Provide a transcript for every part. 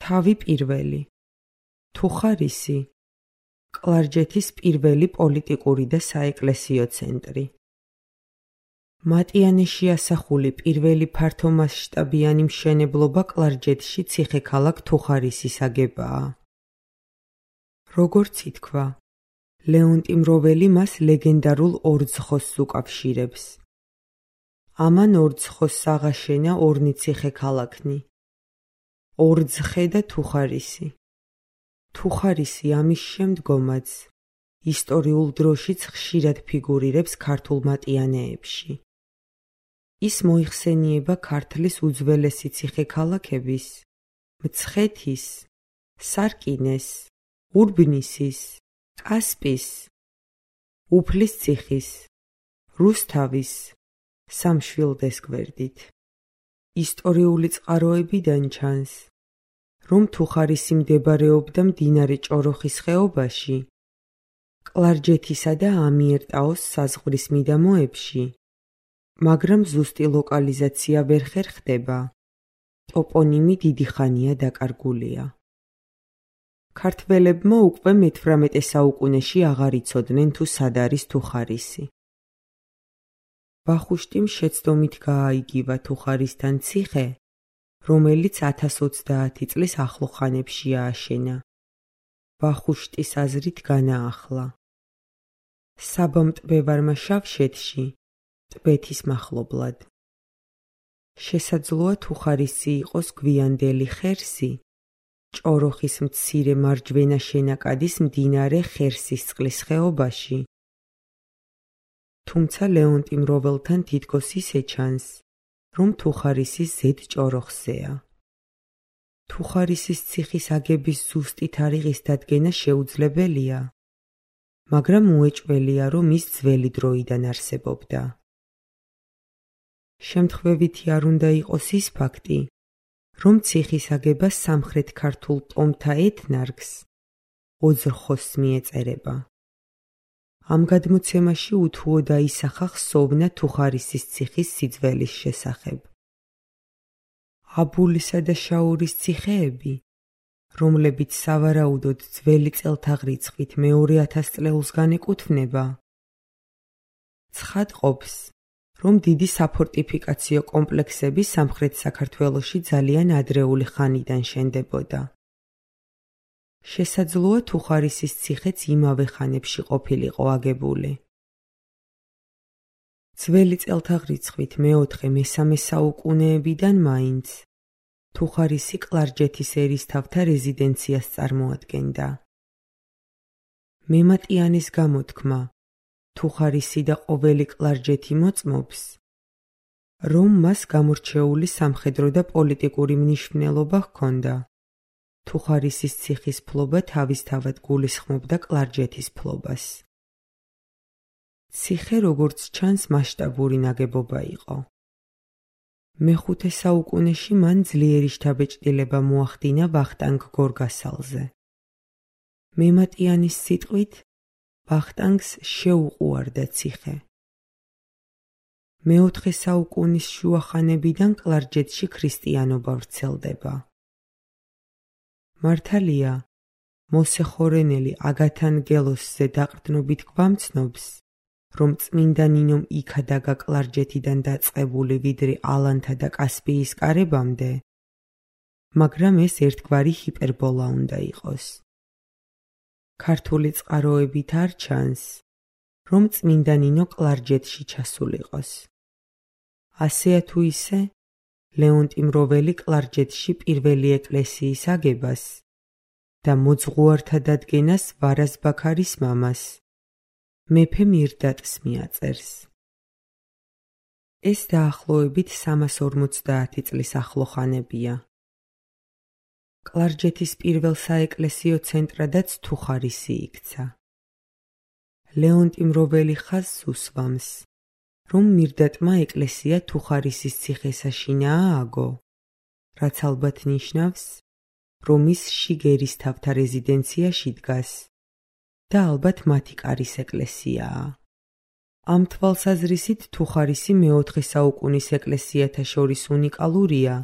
თავი პირველი. თუხარისი, კლარჯეთის პირველი პოლიტიკური და საეკლესიო ცენტრი. მატიანეში ასახული პირველი ფართომასშტაბიანი მშენებლობა კლარჯეთში ციხე-ქალაქ თუხარისის აგებაა. როგორც ითქვა, ლეონტი მროველი მას ლეგენდარულ ორძხოსს უკავშირებს. ამან ორძხოსს აღაშენა ორნი ციხე-ქალაქნი: ორძხე და თუხარისი. თუხარისი ამის შემდგომაც ისტორიულ დროშიც ხშირად ფიგურირებს ქართულ მატიანეებში. ის მოიხსენიება ქართლის უძველესი ციხე-ქალაქების, მცხეთის, სარკინეს, ურბნისის, კასპის, უფლის ციხის, რუსთავის, სამშვილდეს გვერდით. ისტორიული წყაროებიდან ჩანს, რომ თუხარისი მდებარეობდა მდინარე ჭოროხის ხეობაში, კლარჯეთისა და ამიერტაოს საზღვრის მიდამოებში, მაგრამ ზუსტი ლოკალიზაცია ვერ ხერხდება, ტოპონიმი დიდი ხანია დაკარგულია. ქართველებმა უკვე მე-18 საუკუნეში აღარ იცოდნენ თუ სად არის თუხარისი. ვახუშტიმ შეცდომით გააიგივა თუხარისთან ციხე, რომელიც 1030 წლის ახლო ხანებში ააშენა. ვახუშტის აზრით განაახლა. საბამტბევარმა შავშეთში, ტბეთის მახლობლად. შესაძლოა თუხარისი იყოს გვიანდელი ხერსი, ჭოროხის მცირე მარჯვენა შენაკადის მდინარე ხერსისწყლის ხეობაში. თუმცა ლეონტი მროველთან თითქოს ისე ჩანს, რომ თუხარისი ზედ ჭოროხზეა. თუხარისის ციხის აგების ზუსტი თარიღის დადგენა შეუძლებელია, მაგრამ უეჭველია, რომ ის ძველი დროიდან არსებობდა. შემთხვევითი არ უნდა იყოს ის ფაქტი, რომ ციხის აგება სამხრეთ ქართულ ტომთა ეთნარქს, ოძრხოსს მიეწერება. ამ გადმოცემაში უთუო დაისახა ხსოვნა თუხარისის ციხის სიძველის შესახებ. აბულისა და შაურის ციხეები, რომლებიც სავარაუდოდ ძველი წელთაღრიცხვით მეორე 1000 წლეულს განეკუთვნება, ცხადყოფს, რომ დიდი საფორტიფიკაციო კომპლექსები სამხრეთ საქართველოში ძალიან ადრეული ხანიდან შენდებოდა. შესაძლოა თუხარისის ციხეც იმავე ხანებში ყოფილიყო აგებული. ძველი წელთაღრიცხვით მე-4-3 საუკუნეებიდან მაინც თუხარისი კლარჯეთის ერისთავთა რეზიდენციას წარმოადგენდა. მემატიანის გამოთქმა, თუხარისი და ყოველი კლარჯეთი მოწმობს, რომ მას გამორჩეული სამხედრო და პოლიტიკური მნიშვნელობა ჰქონდა. თუხარისის ციხის ფლობა თავისთავად გულისხმობდა კლარჯეთის ფლობას. ციხე, როგორც ჩანს, მასშტაბური ნაგებობა იყო. მე-5 საუკუნეში მან ძლიერი შთაბეჭდილება მოახდინა ვახტანგ გორგასალზე. მემატიანის სიტყვით, ვახტანგს შეუყუარდა ციხე. მე-4 საუკუნის შუახანებიდან კლარჯეთში ქრისტიანობა ვრცელდება. მართალია, მოსეხორენელი აგათანგელოსზე დაყრდნობით გვამცნობს, რომ წმინდა ნინომ იქადაგა კლარჯეთიდან დაწყებული ვიდრე ალანთა და კასპიის კარებამდე, მაგრამ ეს ერთგვარი ჰიპერბოლა უნდა იყოს. ქართული წყაროებით არ ჩანს, რომ წმინდა ნინო კლარჯეთში ჩასულიყოს. ასეა თუ ისე, ლეონტი მროველი კლარჯეთში პირველი ეკლესიის აგებას და მოძღვართა დადგენას ვარაზ-ბაქარის მამას, მეფე მირდატს მიაწერს. ეს დაახლოებით 350 წლის ახლო ხანებია. კლარჯეთის პირველ საეკლესიო ცენტრადაც თუხარისი იქცა. ლეონტი მროველი ხაზს უსვამს, რომ მირდატმა ეკლესია თუხარისის ციხესაშინა ააგო, რაც ალბათ ნიშნავს, რომ ის შიგ ერისთავთა რეზიდენციაში დგას და ალბათ მათი კარის ეკლესიაა. ამ თვალსაზრისით თუხარისი მე-4 საუკუნის ეკლესიათა შორის უნიკალურია,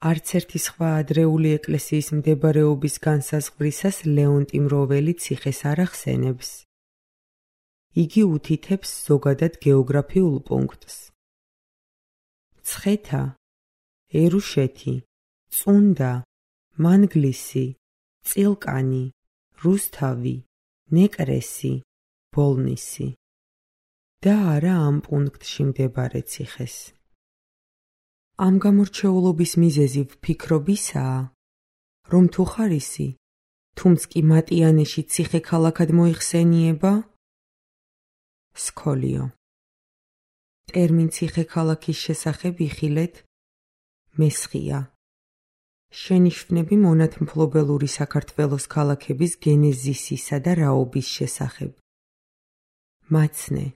არც ერთი სხვა ადრეული ეკლესიის მდებარეობის განსაზღვრისას ლეონტი მროველი ციხეს არ ახსენებს. იგი უთითებს ზოგადად გეოგრაფიულ პუნქტს. ცხეთა, ერუშეთი, წუნდა, მანგლისი, წილკანი, რუსთავი, ნეკრესი, ბოლნისი და არა ამ პუნქტში მდებარე ციხეს. ამ გამორჩეულობის მიზეზი ვფიქრობისაა, რომ თუხარისი, თუმც კი მატიანეში ციხე ქალაქად მოიხსენიება? სქოლიო. ტერმინ ციხე ქალაქის შესახებ იხილეთ მესხია. შენიშვნები მონათმფლობელური საქართველოს ქალაქების გენეზისისა და რაობის შესახებ. მაცნე,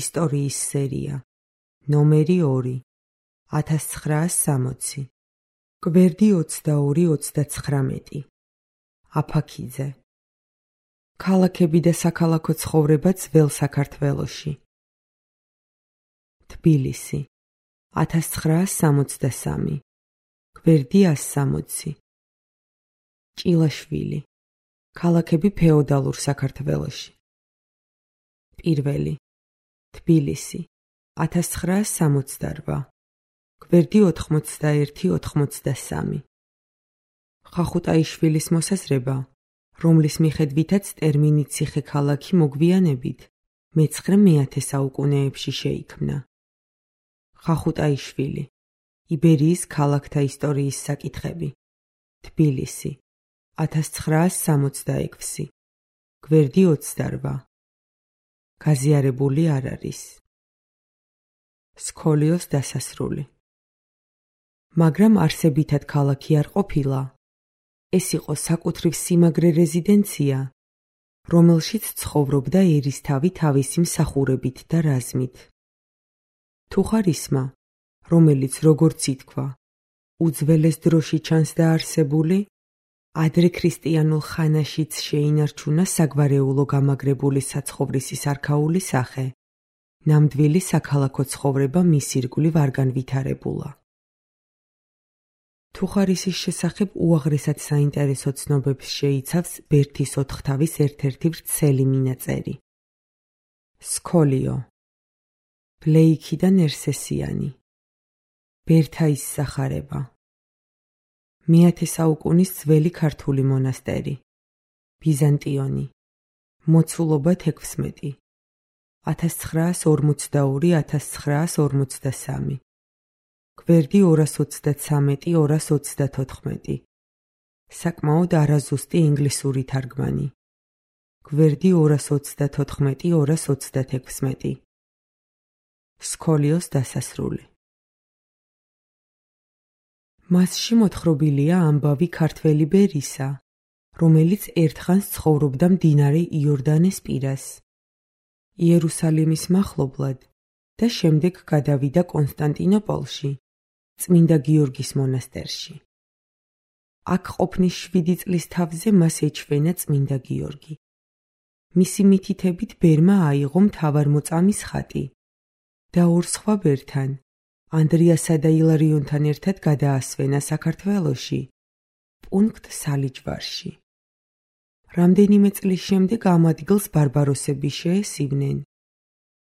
ისტორიის სერია, ნომერი 2, 1960, გვერდი 22-39. აფაქიძე. ქალაქები და საქალაქო ცხოვრება ძველ საქართველოში. თბილისი, 1963, გვერდი 160. ჭილაშვილი. ქალაქები ფეოდალურ საქართველოში. პირველი. თბილისი, 1968, გვერდი 81-83. ხახუტაიშვილის მოსაზრება, რომლის მიხედვითაც ტერმინი ციხე-ქალაქი მოგვიანებით მე-9-10 საუკუნეებში შეიქმნა. ხახუტაიშვილი, იბერიის ქალაქთა ისტორიის საკითხები. თბილისი, 1966, გვერდი 28. გაზიარებული არ არის. სქოლიოს დასასრული. მაგრამ არსებითად ქალაქი არ ყოფილა. ეს იყო საკუთრივ სიმაგრე რეზიდენცია, რომელშიც ცხოვრობდა ერისთავი თავისი მსახურებით და რაზმით. თუხარისმა, რომელიც როგორც ითქვა, უძველეს დროში ჩანს დაარსებული, ადრე ქრისტიანულ ხანაშიც შეინარჩუნა საგვარეულო გამაგრებული საცხოვრისის არქაული სახე, ნამდვილი საქალაქო ცხოვრება მის ირგვლივ არ განვითარებულა. თუხარისის შესახებ უაღრესად საინტერესო ცნობებს შეიცავს ბერთის ოთხთავის ერთ-ერთი ვრცელი მინაწერი. სქოლიო. ბლეიქი და ნერსესიანი. ბერთაის სახარება. მე-10 საუკუნის ძველი ქართული მონასტერი. ბიზანტიონი. მოცულობა 16. 1942-1953. გვერდი 233-234. საკმაოდ არაზუსტი ინგლისური თარგმანი. გვერდი 234-236. სქოლიოს დასასრული. მასში მოთხრობილია ამბავი ქართველი ბერისა, რომელიც ერთხანს ცხოვრობდა მდინარე იორდანეს პირას, იერუსალიმის მახლობლად და შემდეგ გადავიდა კონსტანტინოპოლში, წმინდა გიორგის მონასტერში. აქ ყოფნის 7 წლის თავზე მას ეჩვენა წმინდა გიორგი. მისი მითითებით ბერმა აიღო მთავარმოწამის ხატი და ორ სხვა ბერთან, ანდრიასა და ილარიონთან ერთად გადაასვენა საქართველოში, პუნქტ სალიჯვარში. რამდენიმე წლის შემდეგ ამ ადგილს ბარბაროსები შეესივნენ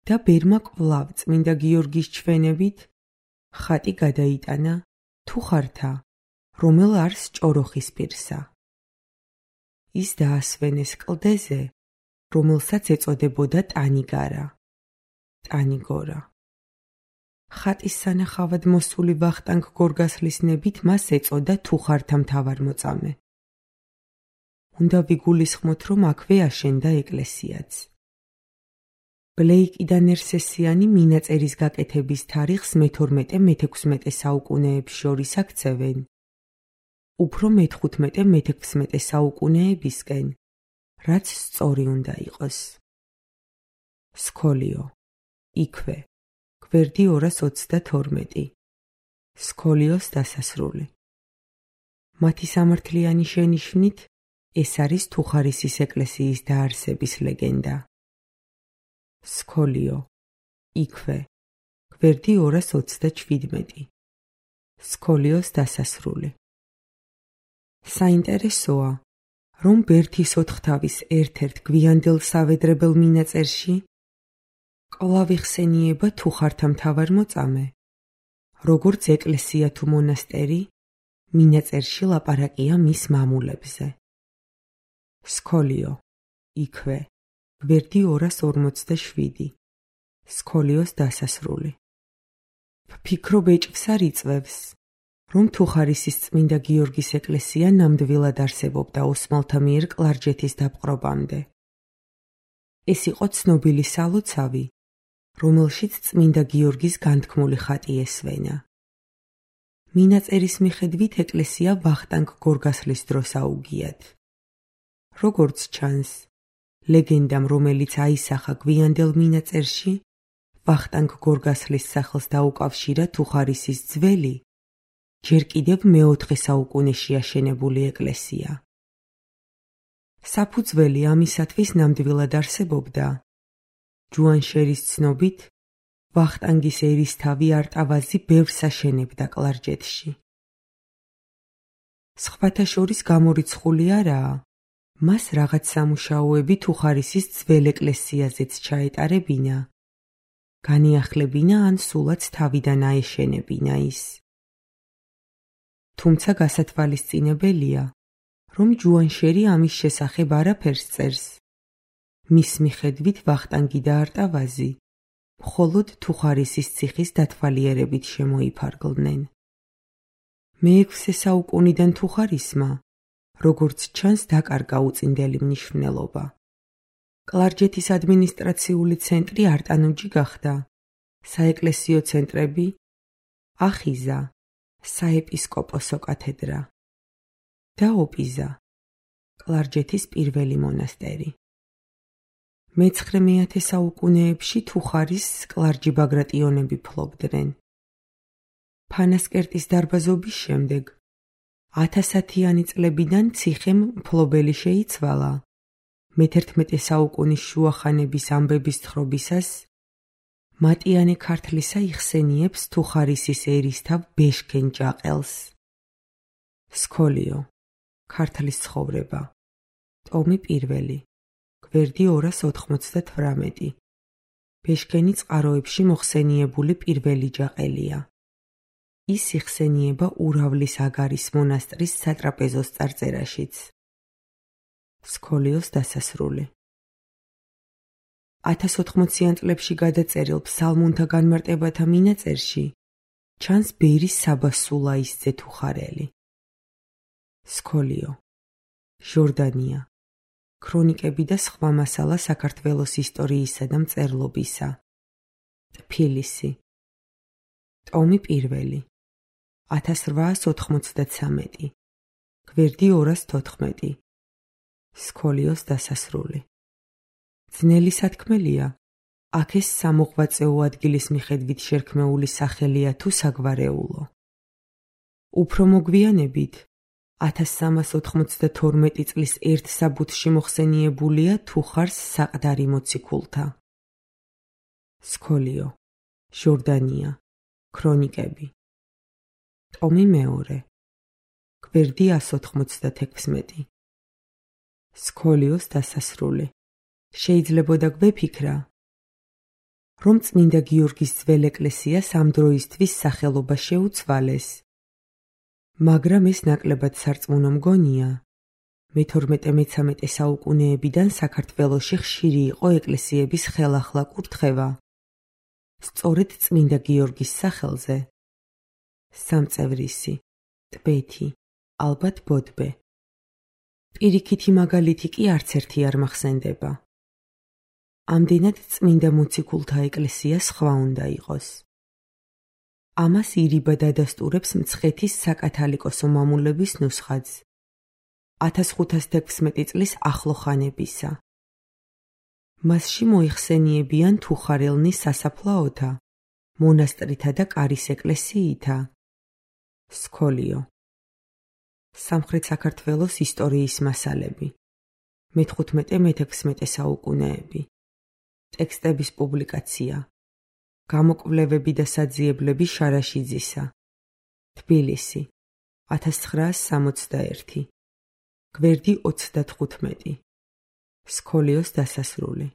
და ბერმა კვლავ წმინდა გიორგის ჩვენებით ხატი გადაიტანა თუხართა, რომელ არს ჭოროხის პირსა. ის დაასვენეს კლდეზე, რომელსაც ეწოდებოდა ტანიგარა, ტანიგორა. ხატის სანახავად მოსული ვახტანგ გორგასლის ნებით მას ეწოდა თუხართა მთავარმოწამე. უნდა ვიგულისხმოთ, რომ აქვე აშენდა ეკლესიაც. ბლეიკი და ნერსესიანი მინაწერის გაკეთების თარიღს მე-12-მე-16 საუკუნეებს შორის აქცევენ, უფრო მე-15-მე-16 საუკუნეებისკენ, რაც სწორი უნდა იყოს. სქოლიო. იქვე. გვერდი 222. სქოლიოს დასასრული. მათი სამართლიანი შენიშვნით, ეს არის თუხარისის ეკლესიის დაარსების ლეგენდა. სქოლიო. იქვე. გვერდი 227. სქოლიოს დასასრული. საინტერესოა, რომ ბერთის ოთხთავის ერთ-ერთ გვიანდელ სავედრებელ მინაწერში კვლავ იხსენიება თუხართა მთავარმოწამე, როგორც ეკლესია თუ მონასტერი, მინაწერში ლაპარაკია მის მამულებზე. სქოლიო, იქვე, გვერდი 247, სქოლიოს დასასრული. ვფიქრობ ეჭვს არ იწვევს, რომ თუხარისის წმინდა გიორგის ეკლესია ნამდვილად არსებობდა ოსმალთა მიერ კლარჯეთის დაპყრობამდე. ეს იყო ცნობილი სალოცავი, რომელშიც წმინდა გიორგის განთქმული ხატი ესვენა. მინაწერის მიხედვით ეკლესია ვახტანგ გორგასლის დროს აუგიათ. როგორც ჩანს, ლეგენდამ, რომელიც აისახა გვიანდელ მინაწერში, ვახტანგ გორგასლის სახელს დაუკავშირა თუხარისის ძველი, ჯერ კიდევ მეოთხე საუკუნეში აშენებული ეკლესია. საფუძველი ამისათვის ნამდვილად არსებობდა. ჯუანშერის ცნობით, ვახტანგის ერისთავი არტავაზი ბევრს აშენებდა კლარჯეთში. სხვათა შორის გამორიცხული არაა, მას რაღაც სამუშაოები თუხარისის ძველ ეკლესიაზეც ჩაეტარებინა, განიახლებინა ან სულაც თავიდან აეშენებინა ის. თუმცა გასათვალისწინებელია, რომ ჯუანშერი ამის შესახებ არაფერს წერს. მის მიხედვით ვახტანგი და არტავაზი მხოლოდ თუხარისის ციხის დათვალიერებით შემოიფარგლნენ. მე-6 საუკუნიდან თუხარისმა, როგორც ჩანს, დაკარგა უწინდელი მნიშვნელობა. კლარჯეთის ადმინისტრაციული ცენტრი არტანუჯი გახდა, საეკლესიო ცენტრები ახიზა, საეპისკოპოსო კათედრა და ოპიზა, კლარჯეთის პირველი მონასტერი. მე-9 საუკუნეებში თუხარის კლარჯი ბაგრატიონები ფლობდნენ. ფანასკერტის დარბაზობის შემდეგ 1000-იანი წლებიდან ციხემ მფლობელი შეიცვალა. მე-11 საუკუნის შუახანების ამბების თხრობისას მატიანე ქართლისა იხსენიებს თუხარისის ერისთავ ბეშქენ ჭაყელს. სქოლიო, ქართლის ცხოვრება, ტომი 1, გვერდი 298. ბეშქენი წყაროებში მოხსენიებული პირველი ჭაყელია. ის იხსენიება ურავლის აგარის მონასტრის სატრაპეზოს წარწერაშიც. სქოლიოს დასასრული. 1080-იან წლებში გადაწერილ ფსალმუნთა განმარტებათა მინაწერში ჩანს ბერის საბა სულაისძე თუხარელი. სქოლიო, ჟორდანია, ქრონიკები და სხვა მასალა საქართველოს ისტორიისა და მწერლობისა. თბილისი, ტომი 1, 1893, გვერდი 214. სქოლიოს დასასრული. ძნელი სათქმელია, აქ ეს სამოღვაწეო ადგილის მიხედვით შერქმეული სახელია თუ საგვარეულო. უფრო მოგვიანებით 1392 წლის ერთ საბუთში მოხსენიებულია თუხარს საყდარი მოციქულთა. სქოლიო, ჟორდანია, ქრონიკები, ტომი 2, გვერდი 196. სქოლიოს დასასრული. შეიძლებოდა გვეფიქრა, რომ წმინდა გიორგის ძველ ეკლესიას ამ დროისთვის სახელობა შეუცვალეს, მაგრამ ეს ნაკლებად სარწმუნო მგონია. მე-12-13 საუკუნეებიდან საქართველოში ხშირი იყო ეკლესიების ხელახლა კურთხევა, სწორედ წმინდა გიორგის სახელზე. სამწევრისი, ტბეთი, ალბათ ბოდბე. პირიქითი მაგალითი კი არც ერთი არ მახსენდება. ამდენად წმინდა მოციქულთა ეკლესია სხვა უნდა იყოს. ამას ირიბად ადასტურებს მცხეთის საკათალიკოსო მამულების ნუსხაც 1516 წლის ახლო ხანებისა. მასში მოიხსენიებიან თუხარელნის სასაფლაოთა, მონასტრითა და კარის ეკლესიითა. სქოლიო, სამხრეთ საქართველოს ისტორიის მასალები, მე-15-მე-16 საუკუნეები, ტექსტების პუბლიკაცია, გამოკვლევები და საძიებლები შარაშიძისა, თბილისი 1961 გვერდი 35 სქოლიოს დასასრული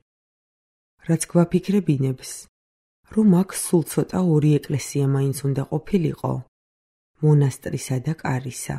რაც გვაფიქრებინებს რომ აქ სულ ცოტა ორი ეკლესია მაინც უნდა ყოფილიყო მონასტრისა და კარისა